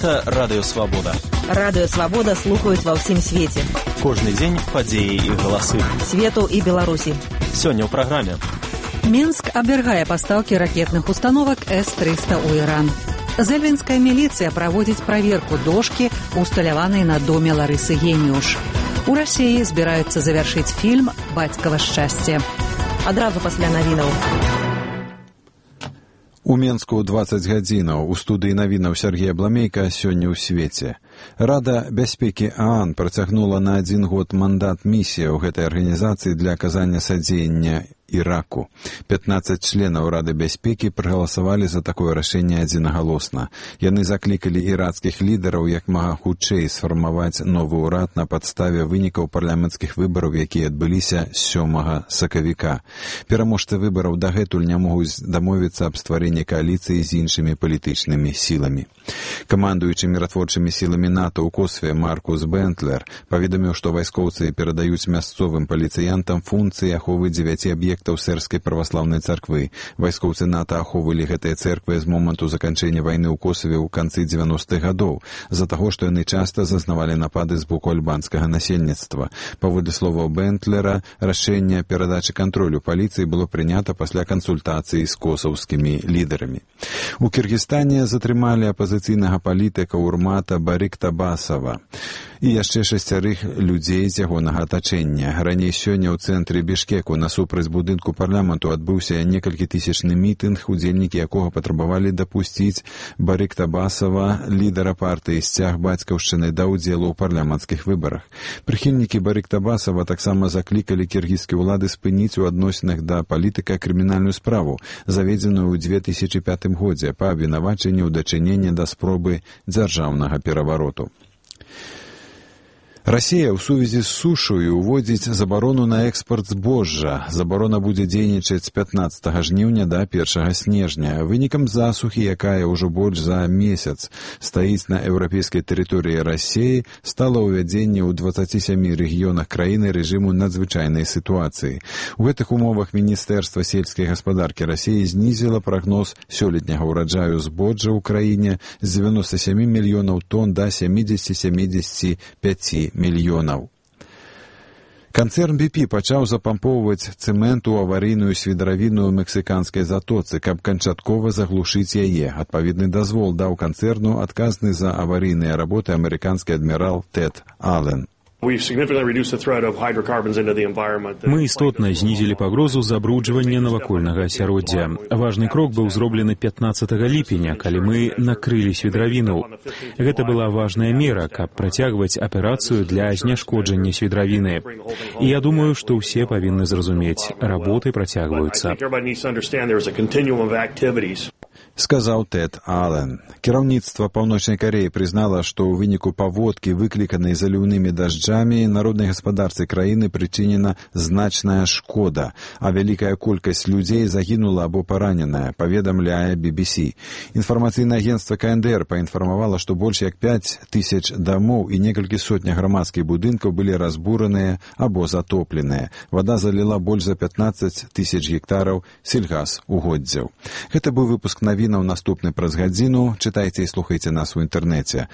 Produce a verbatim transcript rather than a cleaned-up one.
Гэта Радыё Свабода. Радыё Свабода слухаюць ва ўсім свеце. Кожны дзень падзеі і галасы. Свету і Беларусі. Сёння ў праграме. Мінск абвяргае пастаўкі ракетных установак эс трыста ў Іран. Зэльвінская міліцыя праводзіць праверку дошкі, усталяванай на доме Ларысы Геніуш. У Расіі збіраюцца завяршыць фільм «Бацькава шчасце». Адразу пасля навінаў. У Менску дваццаць гадзінаў. У студыі навінаў Сергея Бламейка сёння ў свеце. Рада бяспекі ААН працягнула на адзін год мандат місіі ў гэтай арганізацыі для аказання садзеяння Іраку. пятнаццаць членаў Рады бяспекі прагаласавалі за такое рашэнне адзінагалосна. Яны заклікалі ірацкіх лідараў як мага хутчэй сфармаваць новы ўрад на падставе вынікаў парламенцкіх выбараў, якія адбыліся сёмага сакавіка. Пераможцы выбараў дагэтуль не могуць дамовіцца аб стварэнні кааліцыі з іншымі палітычнымі сіламі. Камандуючы міратворчымі сіламі НАТО ў Косве Маркус Бентлер паведаміў, што вайскоўцы перадаюць мясцовым паліцыянтам функцыі аховы дзевяці аб'ектаў сэрбскай праваслаўнай царквы. Вайскоўцы НАТО ахоўвалі гэтыя цэрквы з моманту заканчэння вайны ў Косаве ў канцы дзевяностых гадоў, з-за таго, што яны часта зазнавалі напады з боку альбанскага насельніцтва. Паводле словаў Бентлера, рашэнне перадачы кантролю паліцыі было прынята пасля кансультацыі з косаўскімі лідарамі. У Кіргізстане затрымалі апазіцыйнага палітыка Урмата Бариктабасова і яшчэ шасцярых людзей з ягонага атачэння. Раней сёння ў цэнтры Бішкеку насупраць будынку парламенту адбыўся некалькі тысячны мітынг, удзельнікі якога патрабавалі дапусціць Бариктабасова, лідара партыі «Сцяг бацькаўшчыны», да ўдзелу ў парламенцкіх выбарах. Прыхільнікі Бариктабасова таксама заклікалі кіргізскія ўлады спыніць у адносінах да палітыка крымінальную справу, заведзеную ў две тысячы пятым годзе па абвінавачанні ў дачыненні да спробы дзяржаўнага перавароту. Расія ў сувязі з сушаю уводзіць забарону на экспарт збожжа. Забарона будзе дзейнічаць з пятнаццатага жніўня да першага снежня. Вынікам засухі, якая ўжо больш за месяц стаіць на еўрапейскай тэрыторыі Расіі, стала ўвядзенне ў дваццаці сямі рэгіёнах краіны рэжыму надзвычайнай сітуацыі. У гэтых умовах Міністэрства сельскай гаспадаркі Расіі знізіла прагноз сёлетняга ўраджаю збожжа ў краіне з дзевяноста сямі мільёнаў тонн да сямідзесяці сямідзесяці пяці мільёнаў. Канцэрн би пі пачаў запампоўваць цэмент у аварыйную свідравіну ў мексіканскай затоцы, каб канчаткова заглушыць яе. Адпаведны дазвол даў канцэрну адказны за аварыйныя работы амерыканскі адмірал Тэд Аллен. Мы істотна знізілі пагрозу забруджвання навакольнага асяроддзя. Важны крок быў зроблены пятнаццатага ліпеня, калі мы накрылі свідравіну. Гэта была важная мера, каб працягваць аперацыю для зняшкоджання свідравіны. І я думаю, што ўсе павінны зразумець, работы працягваюцца. Сказаў Тэд Аллен. Кіраўніцтва Паўночнай Кареі прызнала, што ў выніку паводкі, выкліканай заліўнымі дажджамі, народнай гаспадарцы краіны прычынена значная шкода, а вялікая колькасць людзей загінула або параненая, паведамляе би би сі. Інфармацыйнае агенцтва ка эн дэ эр паінфармавала, што больш як пяць тысяч дамоў і некалькі сотня грамадскіх будынкаў былі разбураныя або затопленыя. Вада заліла больш за пятнаццаць тысяч гектараў сельгасугоддзяў. Гэта быў выпуск навінаў, наступны праз гадзіну. Чытайце і слухайце нас у інтэрнэце.